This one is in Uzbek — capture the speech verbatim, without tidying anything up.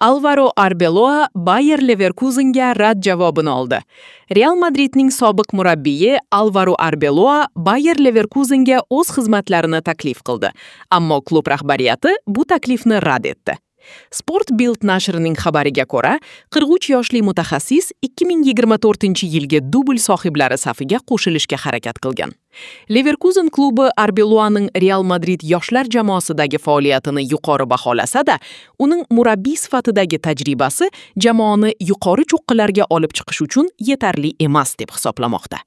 Alvaro Arbeloa Bayer Leverkusenga rad javobini oldi. Real Madridning sobiq murabbiyi Alvaro Arbeloa Bayer Leverkusenga o'z xizmatlarini taklif qildi, ammo klub rahbariyati bu taklifni rad etdi. Sport Bild nashrining xabariga ko'ra, qirq uch yoshli mutaxassis ikki ming yigirma to'rtinchi yilgi dubl sohiblari safiga qo'shilishga harakat qilgan. Leverkusen klubi Arbeloaning Real Madrid yoshlar jamoasidagi faoliyatini yuqori baholasa-da, uning murabbiy sifatidagi tajribasi jamoani yuqori cho'qqilarga olib chiqish uchun yetarli emas deb hisoblamoqda.